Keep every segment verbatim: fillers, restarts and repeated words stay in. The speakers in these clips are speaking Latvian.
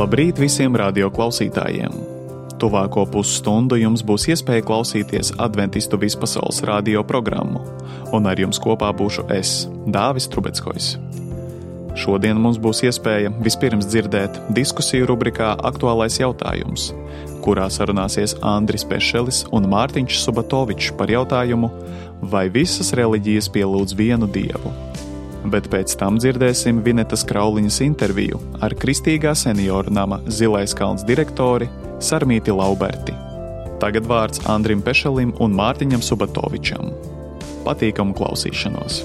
Labrīt visiem radioklausītājiem! Tuvāko pusstundu jums būs iespēja klausīties Adventistu vispasaules radio programmu, un ar jums kopā būšu es, Dāvis Trubeckojs. Šodien mums būs iespēja vispirms dzirdēt diskusiju rubrikā Aktuālais jautājums, kurā sarunāsies Andris Pešelis un Mārtiņš Subatovičs par jautājumu, vai visas reliģijas pielūdz vienu dievu. Bet pēc tam dzirdēsim Vinetas Krauliņas interviju ar Kristīgā senioru nama Zilais kalns direktori Sarmīti Lauberti. Tagad vārds Andrim Pešelim un Mārtiņam Subatovičam. Patīkamu klausīšanos!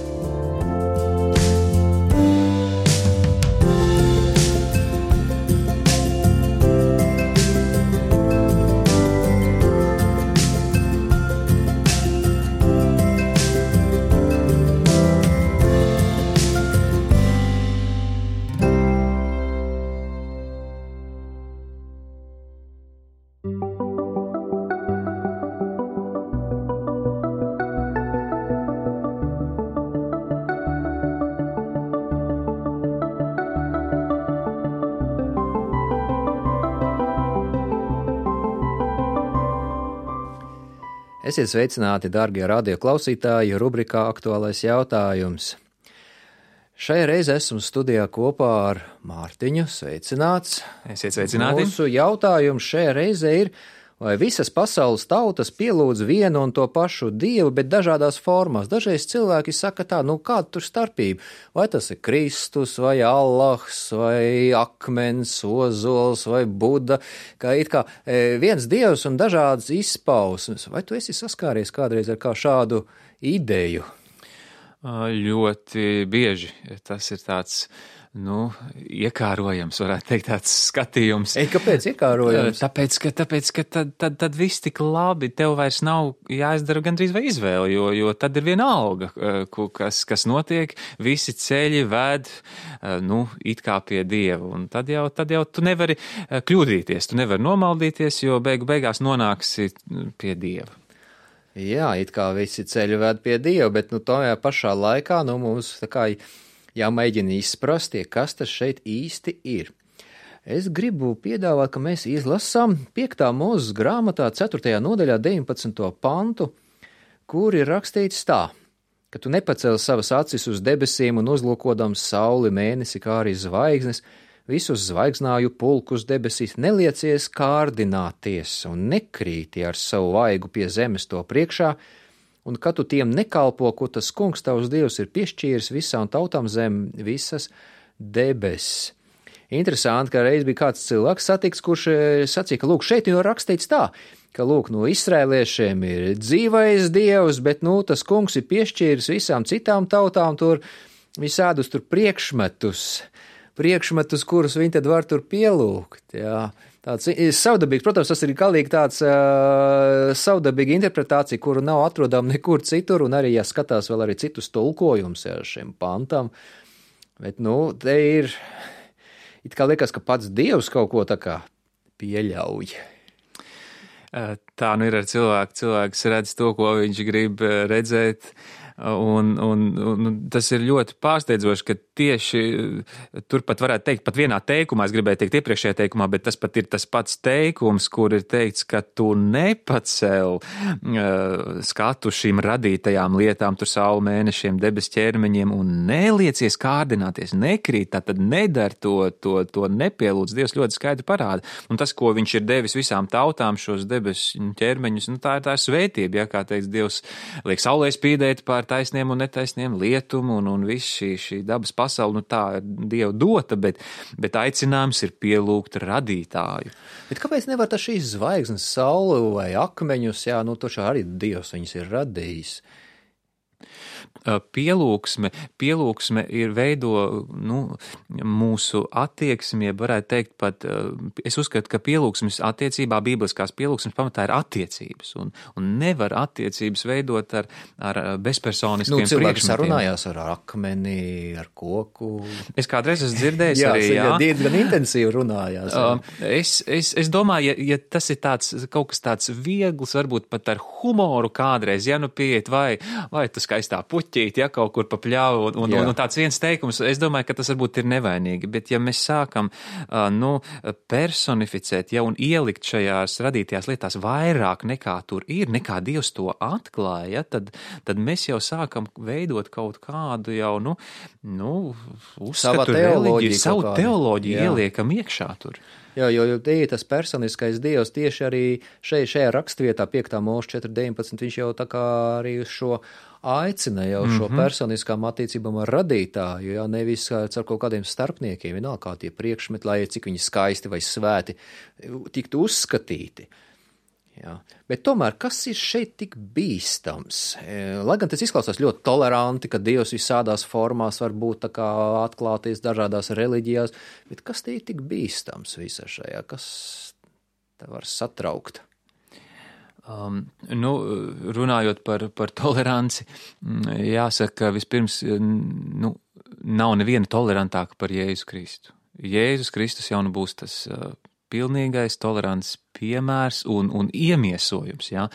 Esiet sveicināti, darbie radioklausītāji, rubrikā Aktuālais jautājums. Šajā reizē esmu studijā kopā ar Mārtiņu. Sveicināts! Esiet sveicināti! Mūsu jautājums šajā reizē ir, vai visas pasaules tautas pielūdz vienu un to pašu dievu, bet dažādās formās. Dažreiz cilvēki saka tā, nu kāda tur starpība? Vai tas ir Kristus, vai Allahs, vai akmens, ozols, vai Buda, kā it kā viens dievs un dažādas izpausmes. Vai tu esi saskāries kādreiz ar kā šādu ideju? Ļoti bieži. Tas ir tāds, nu, iekārojams, varētu teikt, tāds skatījums. Ei, kāpēc iekārojams? Tāpēc, ka, tāpēc, ka tad, tad, tad viss tik labi, tev vairs nav jāizdara gandrīz vai izvēle, jo, jo tad ir viena alga, kas, kas notiek, visi ceļi ved, nu, it kā pie Dieva, un tad jau, tad jau tu nevari kļūdīties, tu nevari nomaldīties, jo beigu beigās nonāksi pie Dieva. Jā, it kā visi ceļi ved pie Dieva, bet, nu, tajā pašā laikā, nu, mums tā kā jāmēģina izprast, kas tas šeit īsti ir. Es gribu piedāvāt, ka mēs izlasām piektā Mūzes grāmatā ceturtajā nodaļā deviņpadsmito pantu, kur ir rakstīts tā, ka tu nepacēli savas acis uz debesīm un uzlūkodams sauli, mēnesi, kā arī zvaigznes, visus zvaigznāju pulkus debesīs, neliecies kārdināties un nekrīti ar savu vaigu pie zemes to priekšā, un ka tu tiem nekalpo, ko tas kungs tavs dievs ir piešķīris visām tautām zem visas debesis. Interesanti, ka reiz bija kāds cilvēks satiks, kurš sacīja, ka lūk, šeit jau rakstīts tā, ka lūk, no izrēliešiem ir dzīvais dievs, bet, nu, tas kungs ir piešķīris visām citām tautām tur visādus tur priekšmetus, priekšmetus, kurus viņi tad var tur pielūgt, jā. Tāds savdabīgs, protams, tas ir galīgi tāds uh, savdabīga interpretācija, kuru nav atrodama nekur citur, un arī, ja skatās vēl arī citus tulkojumus jā, šiem pantam, bet, nu, te ir, it kā liekas, ka pats Dievs kaut ko tā kā pieļauj. Tā nu ir ar cilvēku, cilvēks redz to, ko viņš grib redzēt, un, un, un tas ir ļoti pārsteidzoši, ka tieši turpat varētu teikt, pat vienā teikumā, es gribēju teikt iepriekšējā teikumā, bet tas pat ir tas pats teikums, kur ir teikts, ka tu nepacel uh, skatu šīm radītajām lietām, tur saulu, mēnešiem, debes ķermeņiem un neliecies kārdināties, nekrīt, tātad nedar to, to, to nepielūdz. Dievs ļoti skaidri parāda. Un tas, ko viņš ir devis visām tautām, šos debes ķermeņus, nu tā ir tā svētība, ja, kā teiks Dievs, liek saulē spīdēt pār taisniem un netaisniem lietumu un, un viss šī, šī dabas pasauli, nu tā ir Dieva dota, bet, bet aicinājums ir pielūgt radītāju. Bet kāpēc nevar tā šīs zvaigznes, sauli vai akmeņus, jā, nu taču arī Dievs viņus ir radījis? Pielūgsme, pielūgsme ir veido, nu, mūsu attieksmi, varētu teikt pat, es uzskatu, ka pielūgsmes attiecībā, bībeliskās pielūgsmes pamatā ir attiecības, un, un nevar attiecības veidot ar, ar bezpersoniskiem priekšmetiem. Nu, cilvēki sarunājās ar akmeni, ar koku. Es kādreiz esmu dzirdējis jā, arī, jā. Jā, gan intensīvi runājās. Es, es, es domāju, ja, ja tas ir tāds, kaut kas tāds viegls, varbūt pat ar humoru kādreiz, ja nu pieiet, vai, vai tu skaistā puķa puķīt, ja kaut kur pa pļāvu, un, un, un tāds viens teikums, es domāju, ka tas varbūt ir nevainīgi, bet ja mēs sākam, nu, personificēt, ja, un ielikt šajās radītajās lietās vairāk nekā tur ir, nekā Dievs to atklāja, tad, tad mēs jau sākam veidot kaut kādu jau, nu, nu uzskatu reliģiju, savu teoloģiju ieliekam iekšā tur. Jā, jo, jo tie, tas personiskais Dievs tieši arī šeit, šajā rakstvietā piektā mūža četri deviņpadsmit, viņš jau tā kā arī uz šo aicina jau šo mm-hmm. personiskām attiecībām ar radītāju, jā, nevis ar kaut kādiem starpniekiem, vienalga kā tie priekšmeti, lai cik viņi skaisti vai svēti tiktu uzskatīti. Jā. Bet tomēr, kas ir šeit tik bīstams? Lai gan tas izklausās ļoti toleranti, ka Dievs visādās formās var būt tā kā atklāties dažādās reliģijās, bet kas te ir tik bīstams visā šajā? Kas te var satraukt? Um, nu, runājot par, par toleranci, jāsaka, vispirms, nu, nav neviena tolerantāka par Jēzu Kristu. Jēzus Kristus jau nu būs tas uh, pilnīgais tolerants piemērs un, un iemiesojums, ja?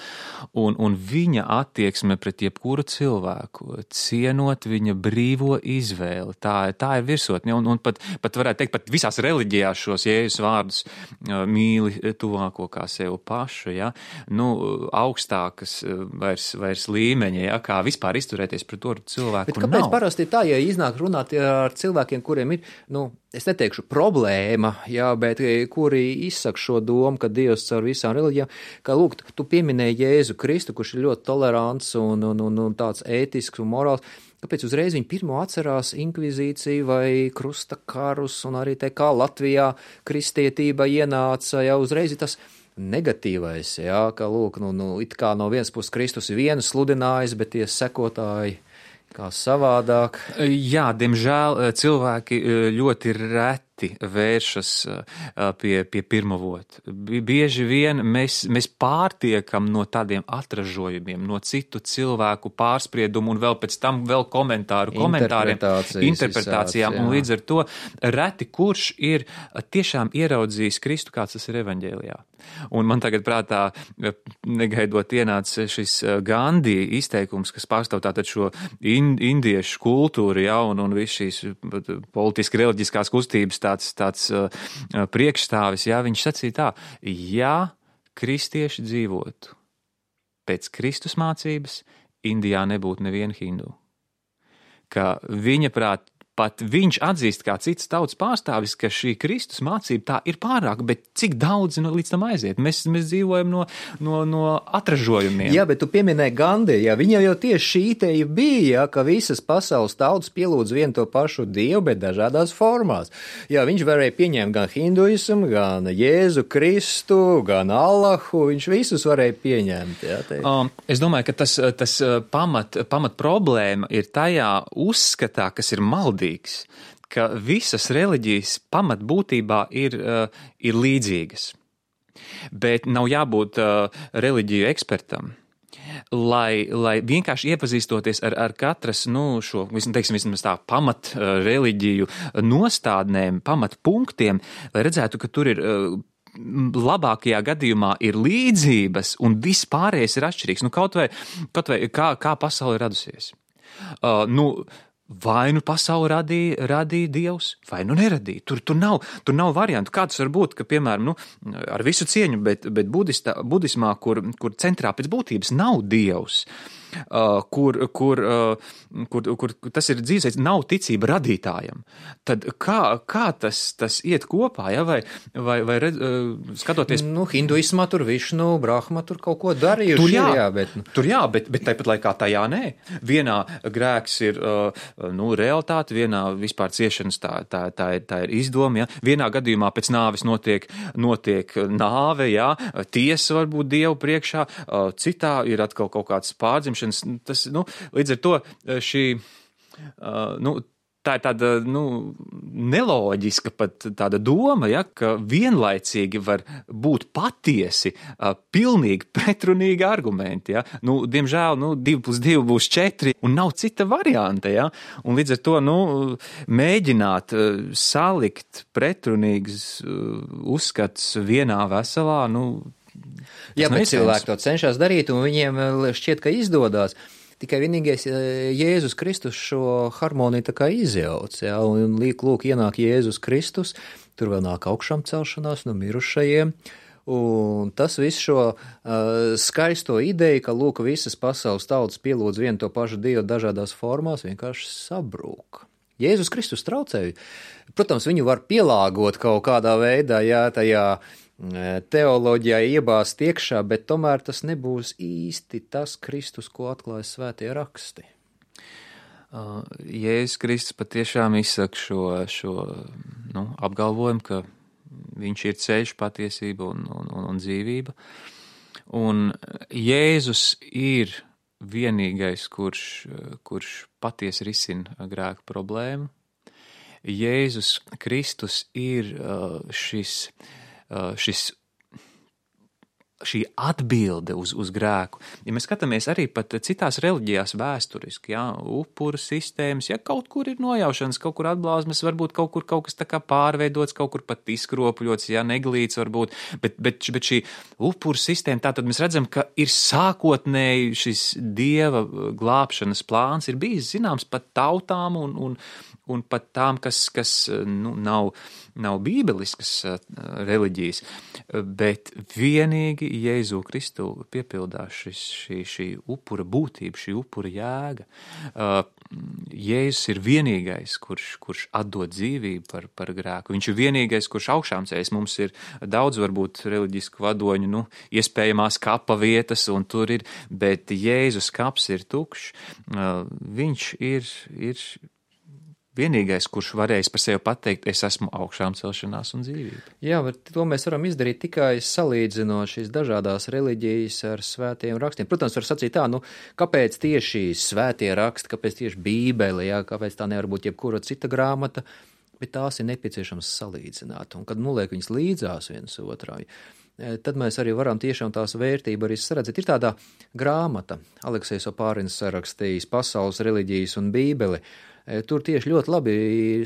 un, un viņa attieksme pret jebkuru cilvēku, cienot viņa brīvo izvēli, tā, tā ir virsotne, un, un pat, pat varētu teikt, pat visās reliģijās šos Jēzus vārdus uh, mīli tuvāko kā sev pašu, ja? Nu, augstākas vairs, vairs līmeņa, ja? Kā vispār izturēties pret to cilvēku. Bet kāpēc nav? Parasti tā, ja iznāk runāt ar cilvēkiem, kuriem ir, nu, es neteikšu problēma, jā, bet kuri izsaka šo domu, ka Dievs caur visām reliģijām, ka, lūk, tu pieminēji Jēzu Kristu, kurš ir ļoti tolerants un, un, un, un tāds ētisks un morāls, kāpēc uzreiz viņi pirmo atcerās inkvizīciju vai krusta karus, un arī te kā Latvijā kristietība ienāca, jau uzreiz ir tas negatīvais, jā, ka, lūk, nu, nu, it kā no vienas puses Kristus vienu sludinājis, bet tie sekotāji kā savādāk. Jā, diemžēl cilvēki ļoti reti vēršas pie, pie pirmavota. Bieži vien mēs, mēs pārtiekam no tādiem atražojumiem, no citu cilvēku pārspriedumu un vēl pēc tam vēl komentāru, komentāriem, interpretācijām. Un līdz ar to reti kurš ir tiešām ieraudzījis Kristu, kāds tas ir evaņģēlijā. Un man tagad prātā negaidot ienāca šis Gandhi izteikums, kas pārstāv tātad šo in, indiešu kultūru, ja, un, un visu šīs politiski reliģiskās kustības tāds, tāds uh, priekšstāvis, ja, viņš sacīja tā, ja kristieši dzīvotu pēc Kristus mācības, Indijā nebūtu neviena hindu. Ka viņa prāt, pat viņš atzīst kā cits tautas pārstāvis, ka šī Kristus mācība tā ir pārāk, bet cik daudz no, līdz tam aiziet? Mēs, mēs dzīvojam no, no, no atražojumiem. Jā, bet tu pieminēji Gandhi, jā, viņam jau tieši šī ideja bija, jā, ka visas pasaules tautas pielūdz vienu to pašu Dievu, bet dažādās formās. Jā, viņš varēja pieņemt gan hinduismu, gan Jēzu Kristu, gan Allahu, viņš visus varēja pieņemt. Jā, um, es domāju, ka tas, tas pamat, pamat problēma ir tajā uzskatā, kas ir maldīgs, ka visas reliģijas pamatbūtībā ir, uh, ir līdzīgas. Bet nav jābūt uh, reliģiju ekspertam, lai, lai vienkārši iepazīstoties ar, ar katras, nu, šo, teiksim, vismaz tā pamat uh, reliģiju nostādnēm, pamat punktiem, lai redzētu, ka tur ir uh, labākajā gadījumā ir līdzības un viss pārējais ir atšķirīgs. Nu, kaut vai, kaut vai kā, kā pasaule ir radusies. Uh, nu, Vai nu pasauli radīja, radīja Dievs, vai nu neradīja. Tur, tur, nav, tur nav variantu. Kā tas var būt, ka, piemēram, nu, ar visu cieņu, bet, bet budistā, budismā, kur, kur centrā pēc būtības nav Dievs, uh, kur, kur, uh, kur, kur, kur tas ir dzīvesveids, nav ticība radītājam, tad kā, kā tas, tas iet kopā, ja? vai, vai, vai redz, uh, skatoties... Nu, hinduismā tur Višnu, Brahma tur kaut ko darījuši. Tur jā, jā bet... tur jā, bet, bet tāpat laikā tajā nē. Vienā grēks ir... Uh, nu, realitāte, vienā vispār ciešanas tā, tā, tā, ir, tā ir izdoma, ja? Vienā gadījumā pēc nāves notiek, notiek nāve, ja? Tiesa varbūt Dievu priekšā, citā ir atkal kaut kāds pārdzimšanas, tas, nu, līdz ar to šī, nu, tā ir tāda, nu, neloģiska pat tāda doma, ja, ka vienlaicīgi var būt patiesi uh, pilnīgi pretrunīgi argumenti, ja. Nu, diemžēl, nu, divi plus divi būs četri un nav cita varianta, ja. Un līdz ar to, nu, mēģināt uh, salikt pretrunīgas uh, uzskats vienā veselā, nu, jā, bet cilvēki to cenšas darīt un viņiem šķiet, ka izdodas. tikai vienīgais Jēzus Kristus šo harmoniju tā kā izjauc, jā, un līk, lūk, ienāk Jēzus Kristus, tur vēl nāk augšām celšanās no mirušajiem, un tas viss šo uh, skaisto ideju, ka, lūk, visas pasaules tautas pielūdz vienu to pašu Dievu dažādās formās, vienkārši sabrūk. Jēzus Kristus traucēja. Protams, viņu var pielāgot kaut kādā veidā, jā, tajā teoloģijā iebāzt iekšā, bet tomēr tas nebūs īsti tas Kristus, ko atklāja svētie raksti. Uh, Jēzus Kristus patiešām izsaka šo, šo nu, apgalvojumu, ka viņš ir ceļš, patiesība un, un, un, un dzīvība. Un Jēzus ir vienīgais, kurš, kurš patiesi risina grēku problēmu. Jēzus Kristus ir uh, šis šis, šī atbilde uz, uz grēku. Ja mēs skatāmies arī pat citās reliģijās vēsturiski, jā, upuru sistēmas, ja kaut kur ir nojaušanas, kaut kur atblāzmas, varbūt kaut kur kaut kas tā kā pārveidots, kaut kur pat izkropļots, jā, neglīts varbūt, bet, bet, bet šī upuru sistēma, tātad mēs redzam, ka ir sākotnēji šis Dieva glābšanas plāns, ir bijis zināms pat tautām un, un, un pat tām, kas, kas nu, nav nav bībeliskas reliģijas, bet vienīgi Jēzu Kristu piepildās šis, šī, šī upura būtība, šī upura jēga. Jēzus ir vienīgais, kurš, kurš atdod dzīvību par, par grēku. Viņš ir vienīgais, kurš augšām ceļas. Mums ir daudz varbūt reliģisku vadoņu, nu, iespējamās kapa vietas, un tur ir, bet Jēzus kaps ir tukšs. Viņš ir, ir vienīgais, kurš varēs par sevi pateikt, es esmu augšām celšanās un dzīvība. Jā, bet to mēs varam izdarīt tikai salīdzinot šīs dažādās reliģijas ar svētiem rakstiem. Protams, var sacīt tā, nu, kāpēc tieši svētie raksti, kāpēc tieši Bībele, jā, kāpēc tā nevar būt jebkura cita grāmata, bet tās ir nepieciešams salīdzināt. Un kad noliek viņas līdzās viens otrai, tad mēs arī varam tiešām tās vērtību arī saredzēt. Ir tāda grāmata, Aleksejs Opārins sarakstījis Pasaules reliģijas un Bībeli. Tur tieši ļoti labi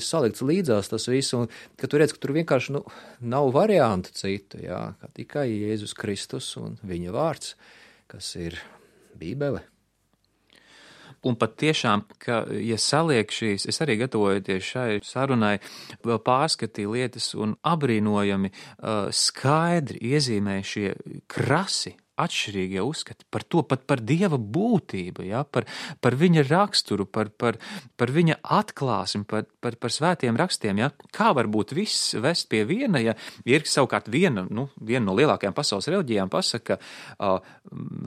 salikts līdzās tas viss, un ka tu redz, ka tur vienkārši nu, nav variantu citu, jā, kā tikai Jēzus Kristus un viņa vārds, kas ir Bībele. Un pat tiešām, ka, ja saliek šīs, es arī gatavojoties šai sarunai, vēl pārskatīju lietas un abrīnojami uh, skaidri iezīmē šie krasi, atšķirīgie uzskati par to, pat par Dieva būtību, ja, par, par viņa raksturu, par, par, par viņa atklāsmi, par, par, par svētiem rakstiem. Ja. Kā var būt viss vest pie viena, ja ir savukārt viena, nu, viena no lielākajām pasaules reliģijām pasaka, ka uh,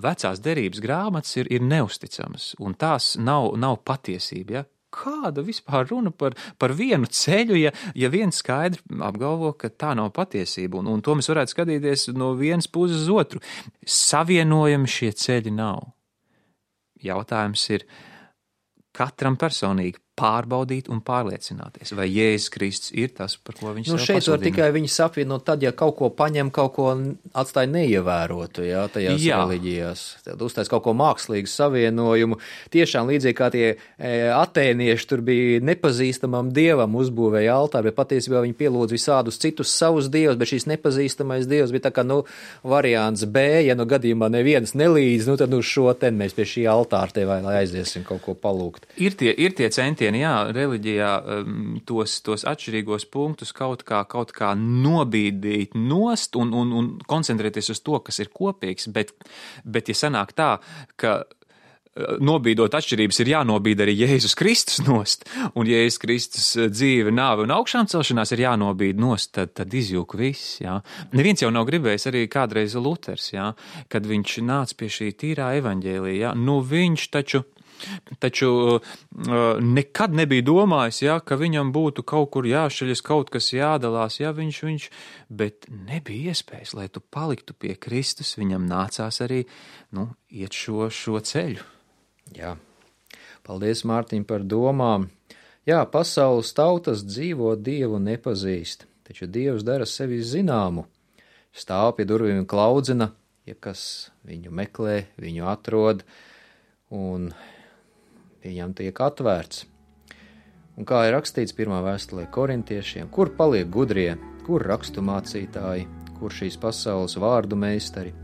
vecās derības grāmatas ir, ir neusticamas, un tās nav, nav patiesība. Ja. Kāda vispār runa par, par vienu ceļu, ja, ja viens skaidri apgalvo, ka tā nav patiesība, un, un to mēs varētu skatīties no vienas puses uz otru. Savienojami šie ceļi nav. Jautājums ir katram personīgi pārbaudīt un pārliecināties, vai Jēzus Kristus ir tas, par ko viņš nu, sev šeit var pasludina. tikai viņus apvienot tad, ja kaut ko paņem, kaut ko atstāja neievērotu, jā, tajās jā. reliģijās. Tad uztais kaut ko mākslīgu savienojumu. Tiešām līdzīgi kā tie e, atēnieši tur bija nepazīstamam dievam uzbūvēja altāri, bet patiesībā viņi pielūdz visādus citus savus dievus, bet šīs nepazīstamais dievs bija tā kā, nu, variants B, ja nu gadījumā neviens nelīdz, nu tad nu šo ten mēs pie šī altāra te vai lai aiziesim kaut ko palūgt. Ir tie, ir tie centieni, jā, reliģijā tos, tos atšķirīgos punktus kaut kā, kaut kā nobīdīt nost un, un, un koncentrēties uz to, kas ir kopīgs, bet, bet ja sanāk tā, ka nobīdot atšķirības ir jānobīd arī Jēzus Kristus nost, un Jēzus Kristus dzīve, nāve un augšām celšanās ir jānobīd nost, tad, tad izjūk viss, jā. Neviens jau nav gribējis arī kādreiz Luters, jā, kad viņš nāca pie šī tīrā evaņģēlija, jā, nu viņš taču Taču uh, nekad nebija domājis, ja, ka viņam būtu kaut kur jāšaļas, kaut kas jādalās, ja viņš, viņš, bet nebija iespējas, lai tu paliktu pie Kristus, viņam nācās arī, nu, iet šo, šo ceļu. Jā, paldies, Mārtiņ, par domām. Jā, pasaules tautas dzīvo Dievu nepazīst, taču Dievs dara sevi zināmu. Stāv pie durvīm un klaudzina, ja kas viņu meklē, viņu atrod, un viņam tiek atvērts. Un kā ir rakstīts pirmā vēstulē korintiešiem, kur paliek gudrie, kur rakstu mācītāji, kur šīs pasaules vārdu meistari?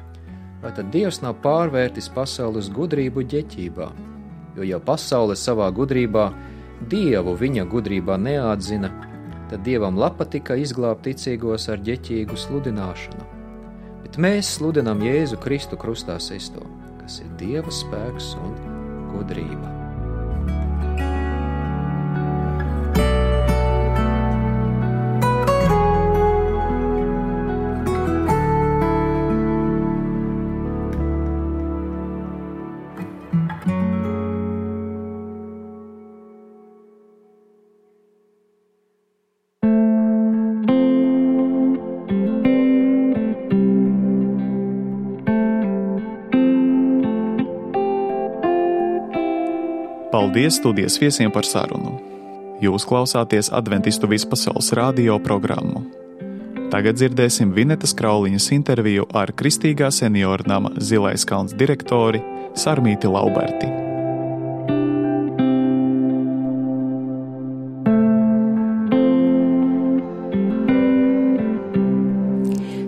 Vai tad Dievs nav pārvērtis pasaules gudrību ģeķībā? jo jau pasaule savā gudrībā Dievu viņa gudrībā neatzina, tad Dievam patika izglābt ticīgos ar ģeķīgu sludināšanu. Bet mēs sludinām Jēzu Kristu krustā sisto, kas ir Dieva spēks un gudrība. Paldies studijas viesiem par sarunu. Jūs klausāties Adventistu vispasaules radio programmu. Tagad dzirdēsim Vinetas Krauliņas interviju ar Kristīgā senioru nama Zilais kalns direktori Sarmīti Lauberti.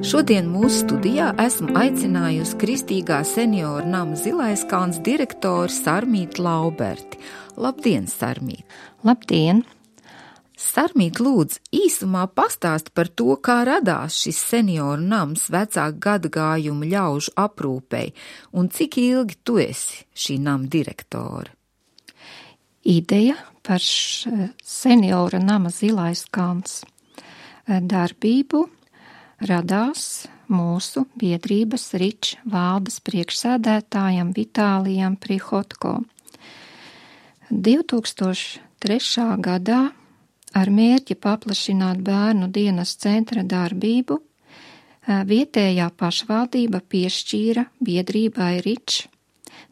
Šodien mūsu studijā esmu aicinājusi Kristīgā senioru nama Zilais kalns direktori Sarmīti Lauberti. Labdien, Sarmīt! Labdien! Sarmīt, lūdzu, īsumā pastāst par to, kā radās šis senioru nams vecāku gadagājumu ļaužu aprūpei un cik ilgi tu esi šī nama direktore. Ideja par senioru nama Zilais kalns darbību radās mūsu biedrības Rič valdes priekšsēdētājam Vitālijam Prihotko. divi tūkstoši trešā gadā ar mērķi paplašināt bērnu dienas centra darbību vietējā pašvaldība piešķīra biedrībai Rič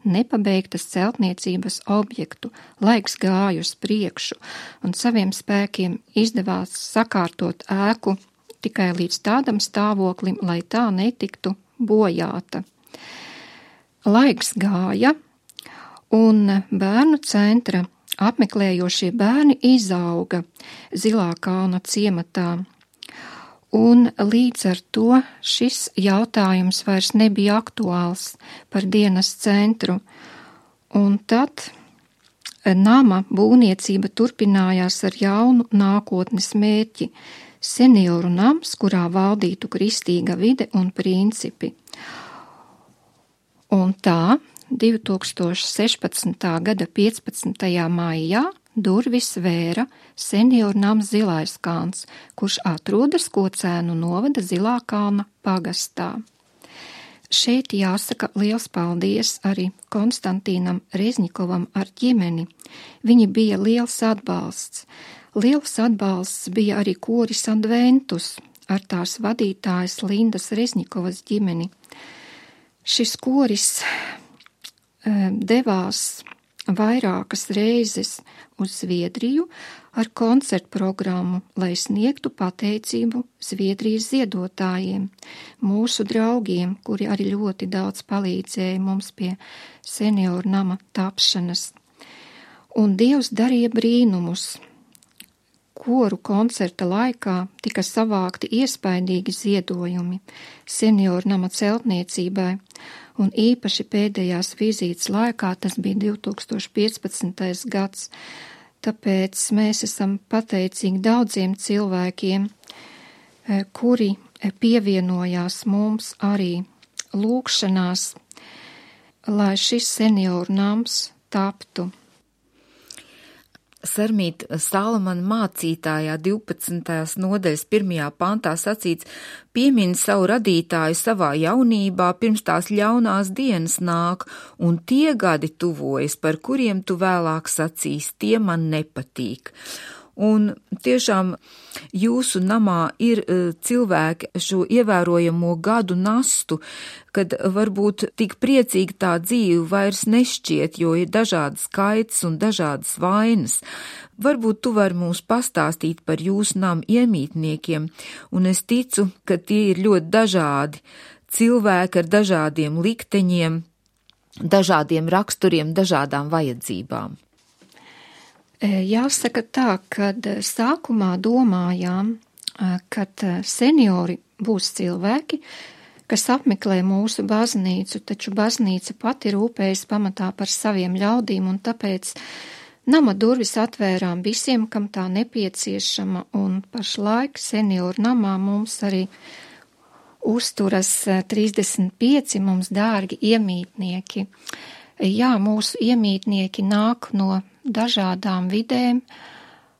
nepabeigtas celtniecības objektu, laiks gāja uz priekšu un saviem spēkiem izdevās sakārtot ēku tikai līdz tādam stāvoklim, lai tā netiktu bojāta. Laiks gāja, un bērnu centra apmeklējošie bērni izauga Zilā kalna ciematā, un līdz ar to šis jautājums vairs nebija aktuāls par dienas centru, un tad nama būvniecība turpinājās ar jaunu nākotnes mērķi – senioru nams, kurā valdītu kristīga vide un principi. Un tā divi tūkstoši sešpadsmitā gada piecpadsmitajā maijā durvis vēra senioru nams Zilais kalns, kurš atrodas Kocēnu novada Zilā kalna pagastā. Šeit jāsaka liels paldies arī Konstantīnam Reznikovam ar ģimeni. Viņi bija liels atbalsts. Liels atbalsts bija arī koris Adventus ar tās vadītājas Lindas Reznikovas ģimeni. Šis koris e, devās vairākas reizes uz Zviedriju ar koncertu programmu, lai sniegtu pateicību Zviedrijas ziedotājiem, mūsu draugiem, kuri arī ļoti daudz palīdzēja mums pie senioru nama tapšanas. Un Dievs darīja brīnumus. Koru koncerta laikā tika savākti iespaidīgi ziedojumi senioru nama celtniecībai, un īpaši pēdējās vizītes laikā, tas bija divi tūkstoši piecpadsmitais gads, tāpēc mēs esam pateicīgi daudziem cilvēkiem, kuri pievienojās mums arī lūgšanās, lai šis senioru nams taptu. Sarmīt, Salamana mācītājā divpadsmitās nodaļas pirmajā pantā sacīts: piemin savu radītāju savā jaunībā, pirms tās ļaunās dienas nāk, un tie gadi tuvojas, par kuriem tu vēlāk sacīs, tie man nepatīk. Un tiešām jūsu namā ir cilvēki šo ievērojamo gadu nastu, kad varbūt tik priecīgi tā dzīve vairs nešķiet, jo ir dažādas kaitas un dažādas vainas. Varbūt tu vari mums pastāstīt par jūsu namu iemītniekiem, un es ticu, ka tie ir ļoti dažādi cilvēki ar dažādiem likteņiem, dažādiem raksturiem, dažādām vajadzībām. Jāsaka tā, kad sākumā domājām, kad seniori būs cilvēki, kas apmeklē mūsu baznīcu, taču baznīca pati rūpējas pamatā par saviem ļaudīm, un tāpēc nama durvis atvērām visiem, kam tā nepieciešama, un pašlaik senioru namā mums arī uzturas trīsdesmit pieci mums dārgi iemītnieki. Jā, mūsu iemītnieki nāk no dažādām vidēm,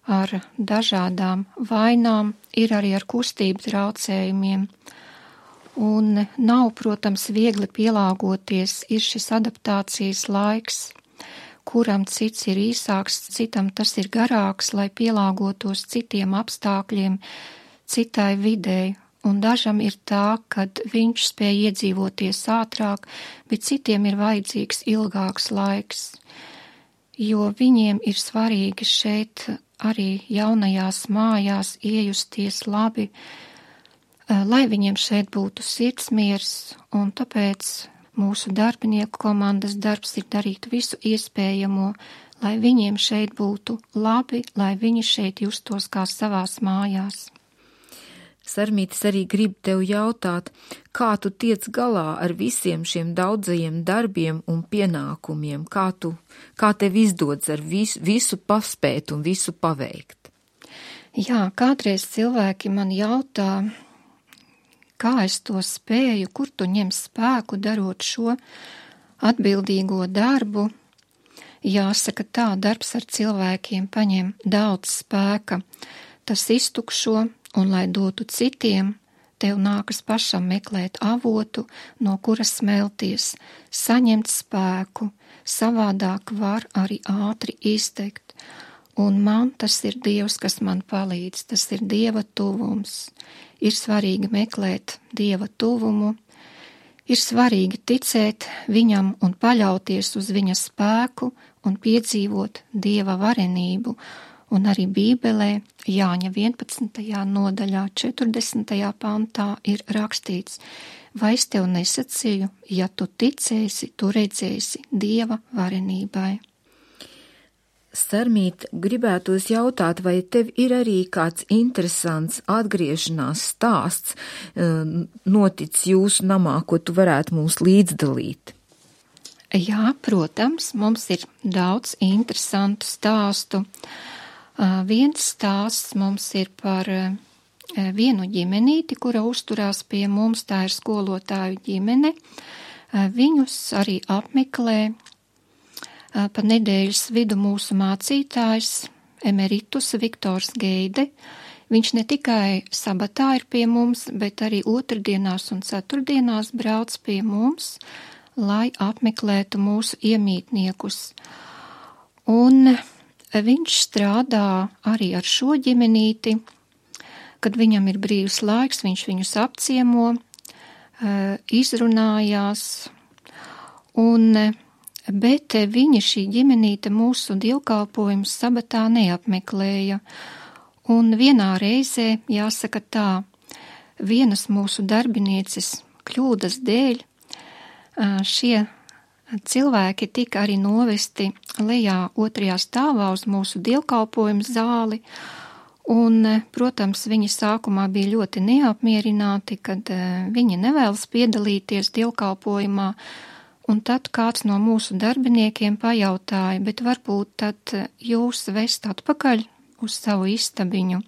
ar dažādām vainām, ir arī ar kustību traucējumiem. Un nav, protams, viegli pielāgoties, ir šis adaptācijas laiks, kuram cits ir īsāks, citam tas ir garāks, lai pielāgotos citiem apstākļiem, citai videi. Un dažam ir tā, kad viņš spēj iedzīvoties ātrāk, bet citiem ir vajadzīgs ilgāks laiks, jo viņiem ir svarīgi šeit arī jaunajās mājās iejusties labi, lai viņiem šeit būtu sirdsmiers, un tāpēc mūsu darbinieku komandas darbs ir darīt visu iespējamo, lai viņiem šeit būtu labi, lai viņi šeit justos kā savās mājās. Sarmītis, arī grib tev jautāt, kā tu tiec galā ar visiem šiem daudzajiem darbiem un pienākumiem, kā, tu, kā tev izdodas ar visu, visu paspēt un visu paveikt? Jā, kādreiz cilvēki man jautā, kā es to spēju, kur tu ņem spēku darot šo atbildīgo darbu. Jāsaka tā, darbs ar cilvēkiem paņem daudz spēka, tas iztukšo, un, lai dotu citiem, tev nākas pašam meklēt avotu, no kura smelties, saņemt spēku, savādāk var arī ātri iztekt. Un man tas ir Dievs, kas man palīdz, tas ir Dieva tuvums. Ir svarīgi meklēt Dieva tuvumu, ir svarīgi ticēt viņam un paļauties uz viņa spēku un piedzīvot Dieva varenību. Un arī Bībelē Jāņa vienpadsmitajā nodaļā četrdesmitajā pantā ir rakstīts, vai es tev nesacīju, ja tu ticēsi, tu redzēsi Dieva varenībai. Sarmīt, gribētos jautāt, vai tev ir arī kāds interesants atgriešanās stāsts noticis jūsu namā, ko tu varētu mums līdzdalīt? Jā, protams, mums ir daudz interesantu stāstu. Uh, viens stāsts mums ir par uh, vienu ģimenīti, kura uzturās pie mums, tā ir skolotāju ģimene. Uh, viņus arī apmeklē uh, pa nedēļas vidu mūsu mācītājs emeritus Viktors Geide. Viņš ne tikai sabatā ir pie mums, bet arī otrdienās un ceturtdienās brauc pie mums, lai apmeklētu mūsu iemītniekus. Un viņš strādā arī ar šo ģimenīti, kad viņam ir brīvs laiks, viņš viņus apciemo, izrunājās, un, bet viņa šī ģimenīte mūsu dievkalpojumus sabatā neapmeklēja. Un vienā reizē, jāsaka tā, vienas mūsu darbinieces kļūdas dēļ šie cilvēki tika arī novesti lejā otrajā stāvā uz mūsu dievkalpojumu zāli, un, protams, viņi sākumā bija ļoti neapmierināti, kad viņi nevēlas piedalīties dievkalpojumā, un tad kāds no mūsu darbiniekiem pajautāja, bet varbūt tad jūs vest atpakaļ uz savu istabiņu.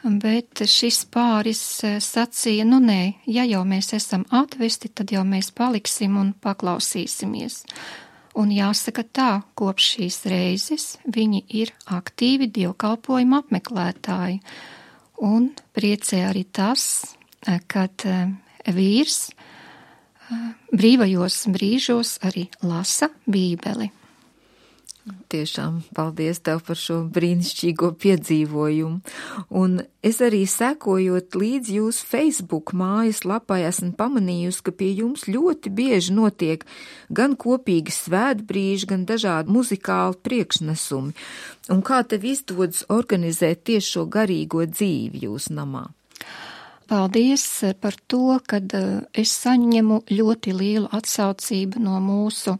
Bet šis pāris sacīja, nu nē, ja jau mēs esam atvesti, tad jau mēs paliksim un paklausīsimies. Un jāsaka tā, kopš šīs reizes viņi ir aktīvi dievkalpojuma apmeklētāji. Un priecē arī tas, kad vīrs brīvajos brīžos arī lasa Bībeli. Tiešām paldies tev par šo brīnišķīgo piedzīvojumu. Un es arī sekojot līdz jūsu Facebook mājas lapai esmu pamanījusi, ka pie jums ļoti bieži notiek gan kopīgi svētbrīži, gan dažādi muzikāli priekšnesumi. Un kā tev izdodas organizēt tieši šo garīgo dzīvi jūsu namā? Paldies par to, kad es saņemu ļoti lielu atsaucību no mūsu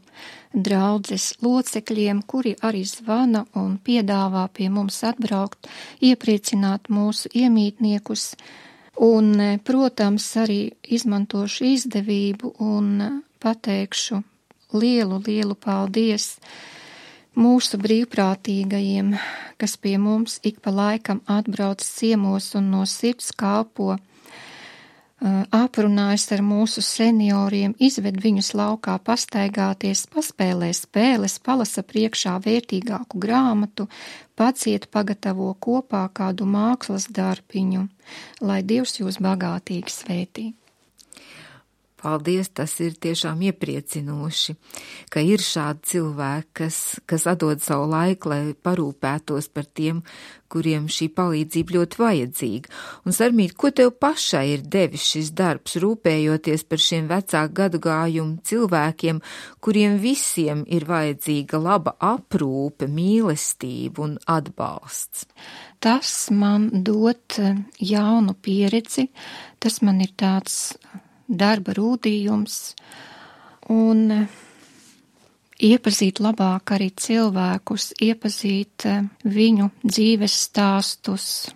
draudzes locekļiem, kuri arī zvana un piedāvā pie mums atbraukt, iepriecināt mūsu iemītniekus. Un, protams, arī izmantošu izdevību un pateikšu lielu, lielu paldies mūsu brīvprātīgajiem, kas pie mums ik pa laikam atbrauc ciemos un no sirds kalpo, aprunājas ar mūsu senioriem, izved viņus laukā pastaigāties, paspēlē spēles, palasa priekšā vērtīgāku grāmatu, paciet pagatavo kopā kādu mākslas darbiņu, lai Dievs jūs bagātīgi svētī. Paldies, tas ir tiešām iepriecinoši, ka ir šādi cilvēki, kas, kas atdod savu laiku, lai parūpētos par tiem, kuriem šī palīdzība ļoti vajadzīga. Un, Sarmīt, ko tev pašai ir devis šis darbs, rūpējoties par šiem vecāku gadagājumu cilvēkiem, kuriem visiem ir vajadzīga laba aprūpe, mīlestība un atbalsts? Tas man dot jaunu pieredzi, tas man ir tāds darba rūdījums un iepazīt labāk arī cilvēkus, iepazīt viņu dzīves stāstus.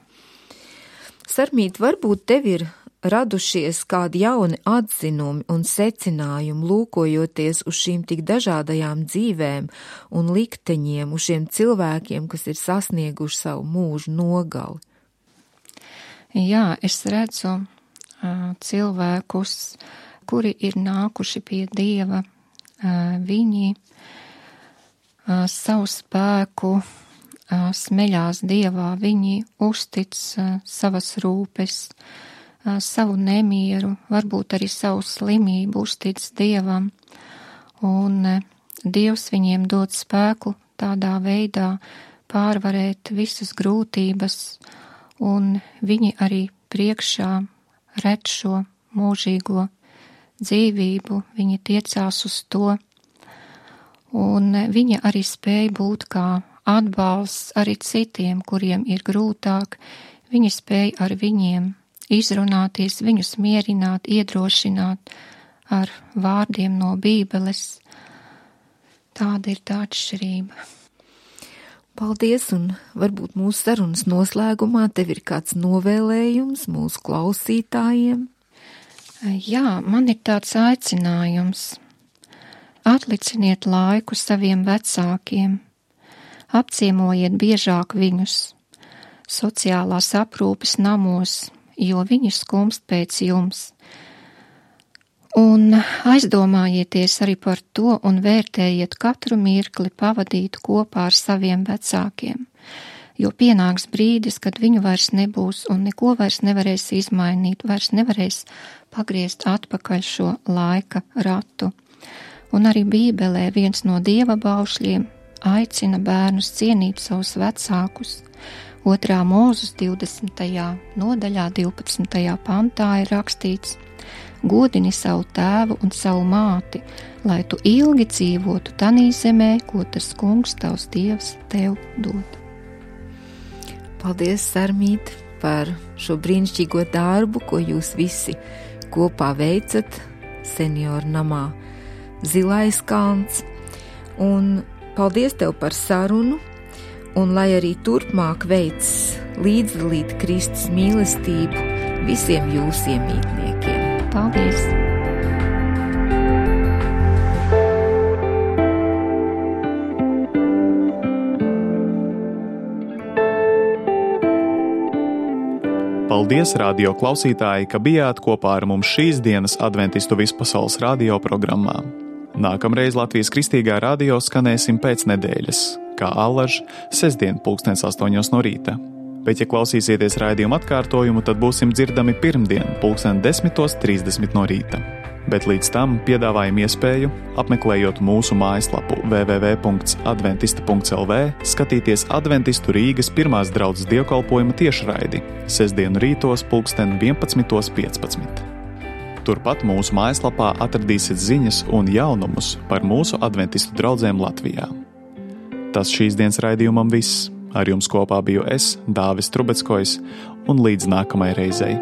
Sarmīt, varbūt tev ir radušies kādi jauni atzinumi un secinājumi, lūkojoties uz šīm tik dažādajām dzīvēm un likteņiem, uz šiem cilvēkiem, kas ir sasnieguši savu mūžu nogali? Jā, es redzu cilvēkus, kuri ir nākuši pie Dieva, viņi savu spēku smeļās Dievā, viņi uztic savas rūpes, savu nemieru, varbūt arī savu slimību uztic Dievam, un Dievs viņiem dod spēku tādā veidā pārvarēt visas grūtības, un viņi arī priekšā redz šo mūžīgo dzīvību, viņi tiecās uz to, un viņa arī spēja būt kā atbalsts arī citiem, kuriem ir grūtāk, viņa spēja ar viņiem izrunāties, viņus mierināt, iedrošināt ar vārdiem no Bībeles. Tāda ir tā atšķirība. Paldies, un varbūt mūsu sarunas noslēgumā tev ir kāds novēlējums mūsu klausītājiem? Jā, man ir tāds aicinājums. Atliciniet laiku saviem vecākiem, apciemojiet biežāk viņus, sociālās aprūpes namos, jo viņi skumst pēc jums. Un aizdomājieties arī par to un vērtējiet katru mirkli pavadīt kopā ar saviem vecākiem, jo pienāks brīdis, kad viņu vairs nebūs un neko vairs nevarēs izmainīt, vairs nevarēs pagriezt atpakaļ šo laika ratu. Un arī Bībelē viens no Dieva baušļiem aicina bērnus cienīt savus vecākus. Otrā Mūzes divdesmitajā nodaļā, divpadsmitajā pantā ir rakstīts: godini savu tēvu un savu māti, lai tu ilgi dzīvotu tanī zemē, ko tas kungs tavs Dievs tev dod. Paldies, Sarmīt, par šo brīnišķīgo darbu, ko jūs visi kopā veicat senioru namā Zilais kalns. Un paldies tev par sarunu, un lai arī turpmāk veic līdzdalīt Kristus mīlestību visiem jūsu iemītniekiem. Paldies! Paldies, radio klausītāji, ka bijāt kopā ar mums šīs dienas Adventistu vispasaules radio programmā. Nākamreiz Latvijas Kristīgā radio skanēsim pēc nedēļas, kā allaž, sestdien pulkstens astoņos no rīta. Bet, ja klausīsieties raidījumu atkārtojumu, tad būsim dzirdami pirmdien, pulksten desmitos trīsdesmit no rīta. Bet līdz tam piedāvājam iespēju, apmeklējot mūsu mājaslapu w w w punkts adventista punkts l v, skatīties Adventistu Rīgas pirmās draudzes dievkalpojuma tiešraidi, sestdienu rītos pulksten vienpadsmitos piecpadsmit. Turpat mūsu mājaslapā atradīsiet ziņas un jaunumus par mūsu adventistu draudzēm Latvijā. Tas šīs dienas raidījumam viss. Ar jums kopā biju es, Dāvis Trubeckojs, un līdz nākamajai reizei.